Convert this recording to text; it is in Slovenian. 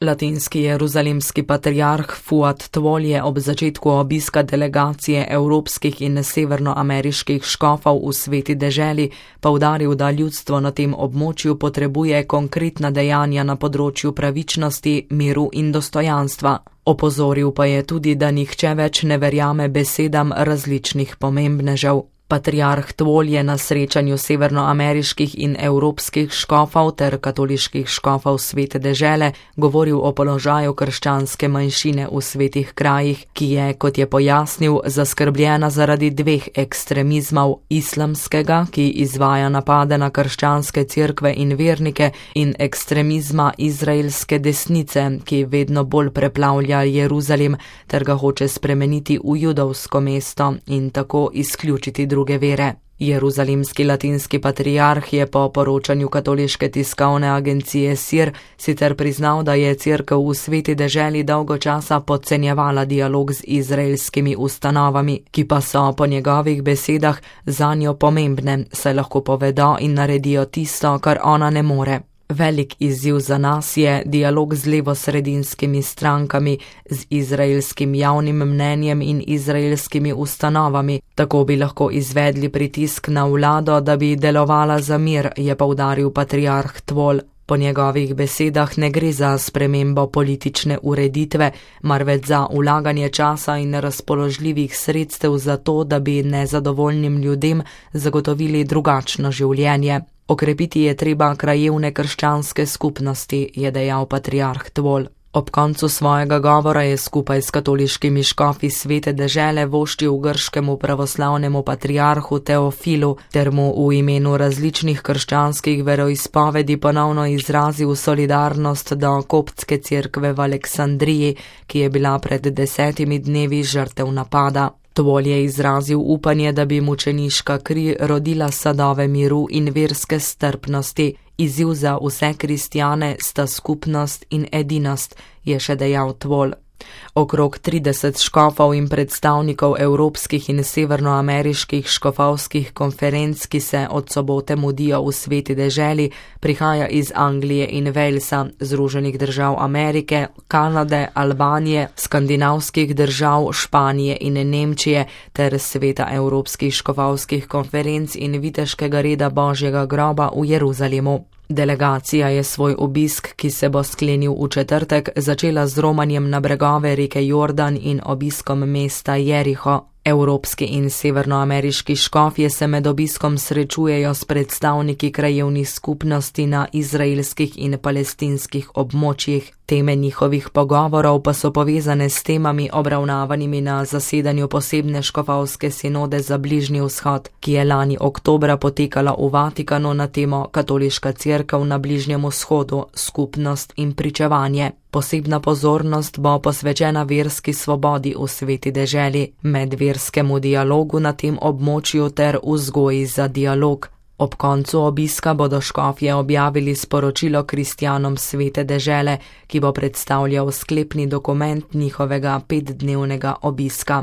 Latinski jeruzalemski patriarh Fuad Tvol je ob začetku obiska delegacije evropskih in severnoameriških škofov v Sveti deželi poudaril, da ljudstvo na tem območju potrebuje konkretna dejanja na področju pravičnosti, miru in dostojanstva. Opozoril pa je tudi, da nihče več ne verjame besedam različnih pomembnežev. Patriarh Tvol je na srečanju severnoameriških in evropskih škofov ter katoliških škofov Svete dežele govoril o položaju krščanske manjšine v svetih krajih, ki je, kot je pojasnil, zaskrbljena zaradi dveh ekstremizmov: islamskega, ki izvaja napade na krščanske cerkve in vernike, in ekstremizma izraelske desnice, ki vedno bolj preplavlja Jeruzalem ter ga hoče spremeniti v judovsko mesto in tako izključiti druge vere. Jeruzalemski latinski patriarh je po poročanju katoliške tiskovne agencije SIR sicer priznal, da je cerkev v Sveti deželi dolgo časa podcenjevala dialog z izraelskimi ustanovami, ki pa so po njegovih besedah zanjo pomembne, saj lahko povedo in naredijo tisto, kar ona ne more. Velik izziv za nas je dialog z levosredinskimi strankami, z izraelskim javnim mnenjem in izraelskimi ustanovami. Tako bi lahko izvedli pritisk na vlado, da bi delovala za mir, je poudaril patriarh Tvol. Po njegovih besedah ne gre za spremembo politične ureditve, marveč za vlaganje časa in razpoložljivih sredstev za to, da bi nezadovoljnim ljudem zagotovili drugačno življenje. Okrepiti je treba krajevne krščanske skupnosti, je dejal patriarh Tvol. Ob koncu svojega govora je skupaj s katoliškimi škofi Svete dežele voščil grškemu pravoslavnemu patriarhu Teofilu ter mu v imenu različnih krščanskih veroizpovedi ponovno izrazil solidarnost do koptske cerkve v Aleksandriji, ki je bila pred 10 dnevi žrtev napada. Tvol je izrazil upanje, da bi mučeniška kri rodila sadove miru in verske strpnosti. Izziv za vse kristjane sta skupnost in edinost, je še dejal Tvol. Okrog 30 škofov in predstavnikov evropskih in severnoameriških škofovskih konferenc, ki se od sobote mudijo v Sveti deželi, prihaja iz Anglije in Walesa, Združenih držav Amerike, Kanade, Albanije, skandinavskih držav, Španije in Nemčije ter sveta evropskih škofovskih konferenc in viteškega reda Božjega groba v Jeruzalemu. Delegacija je svoj obisk, ki se bo sklenil v četrtek, začela z romanjem na bregove reke Jordan in obiskom mesta Jeriho. Evropski in severnoameriški škofje se med obiskom srečujejo s predstavniki krajevnih skupnosti na izraelskih in palestinskih območjih. Teme njihovih pogovorov pa so povezane s temami obravnavanimi na zasedanju posebne škofovske sinode za Bližnji vzhod, ki je lani oktobra potekala v Vatikanu na temo Katoliška cerkev na Bližnjem vzhodu, skupnost in pričevanje. Posebna pozornost bo posvečena verski svobodi v Sveti deželi, medverskemu dialogu na tem območju ter vzgoji za dialog. Ob koncu obiska bodo škofje objavili sporočilo kristjanom Svete dežele, ki bo predstavljal sklepni dokument njihovega 5-dnevnega obiska.